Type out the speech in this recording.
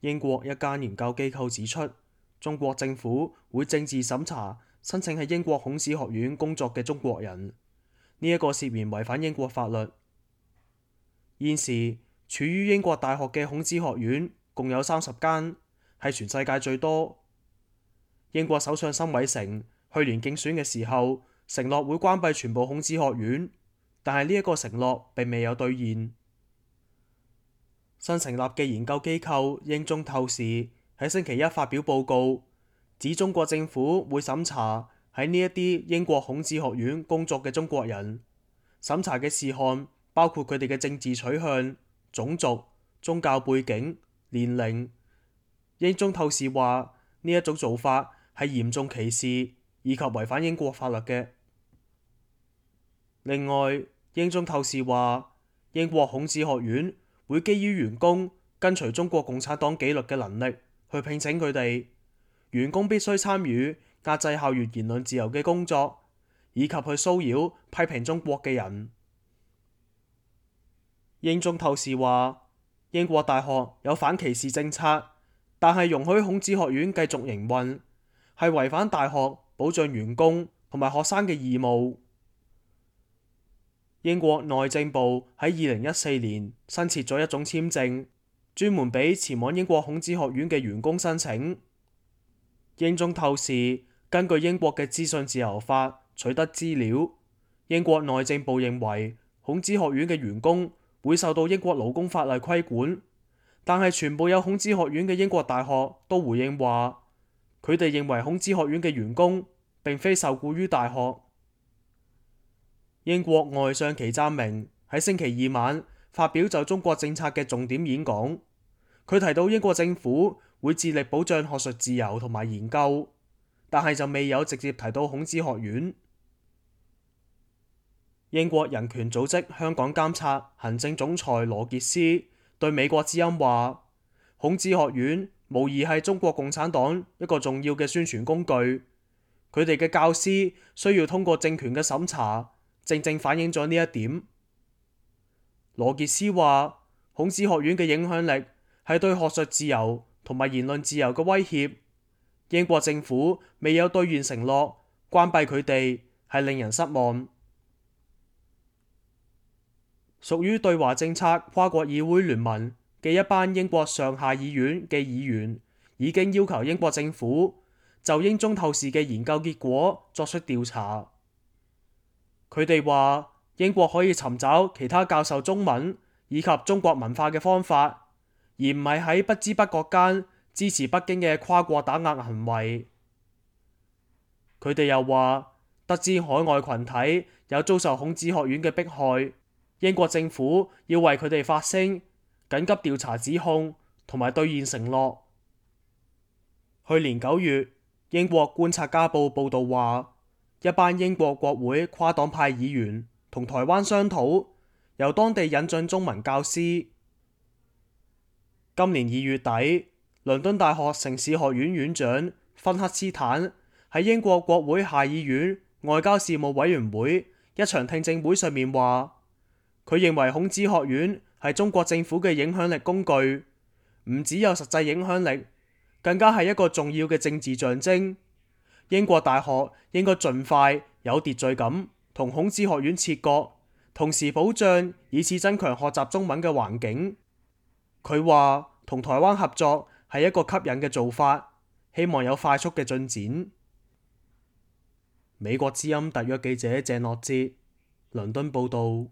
英國一間研究機構指出，中國政府會政治審查申請喺英國孔子學院工作嘅中國人，呢一個涉嫌違反英國法律。現時處於英國大學嘅孔子學院共有30間，係全世界最多。英國首相辛偉誠去年競選嘅時候承諾會關閉全部孔子學院，但係呢一個承諾並未有兌現。新成立嘅研究機構英中透視喺星期一發表報告，指中國政府會審查喺呢一啲英國孔子學院工作嘅中國人，審查嘅事項包括佢哋嘅政治取向、種族、宗教背景、年齡。英中透視話呢一種做法係嚴重歧視以及違反英國法律嘅。另外，英中透視話英國孔子學院會基於員工跟隨中國共產黨紀律嘅能力去聘請佢哋，員工必須參與壓制校園言論自由嘅工作，以及去騷擾批評中國嘅人。英中透視話英國大學有反歧視政策，但係容許孔子學院繼續營運，係違反大學保障員工同埋學生嘅義務。英國內政部喺2014年新設咗一種簽證，專門俾前往英國孔子學院嘅員工申請。英中透視根據英國嘅資訊自由法取得資料，英國內政部認為孔子學院嘅員工會受到英國勞工法例規管，但係全部有孔子學院嘅英國大學都回應話，佢哋認為孔子學院嘅員工並非受僱於大學。英國外相祁湛明喺星期二晚發表就中國政策嘅重點演講，佢提到英國政府會致力保障學術自由同埋研究，但係就未有直接提到孔子學院。英國人權組織香港監察行政總裁羅傑斯對美國之音話，孔子學院無疑係中國共產黨一個重要嘅宣傳工具，佢哋嘅教師需要通過政權嘅審查，正正反映咗呢一點。羅傑斯話，孔子學院嘅影響力係對學術自由同埋言論自由嘅威脅，英國政府未有兌現承諾關閉佢哋，係令人失望。屬於對華政策跨國議會聯盟嘅一班英國上下議院嘅議員已經要求英國政府就英中透視嘅研究結果作出調查。佢哋話英國可以尋找其他教授中文以及中國文化嘅方法，而唔係喺不知不覺間支持北京嘅跨國打壓行為。佢哋又話，得知海外群體有遭受孔子學院嘅迫害，英國政府要為佢哋發聲，緊急調查指控同埋兌現承諾。去年9月，英國觀察家報報道話，一班英國國會跨黨派議員同台灣商討，由當地引進中文教師。今年2月底，倫敦大學城市學院院長芬克斯坦喺英國國會下議院外交事務委員會一場聽證會上面話，佢認為孔子學院係中國政府嘅影響力工具，唔只有實際影響力，更加係一個重要嘅政治象徵。英國大學應該盡快有秩序咁同孔子學院切割，同時保障以此增強學習中文嘅環境。佢話同台灣合作係一個吸引嘅做法，希望有快速嘅進展。美國之音特約記者鄭樂哲，倫敦報道。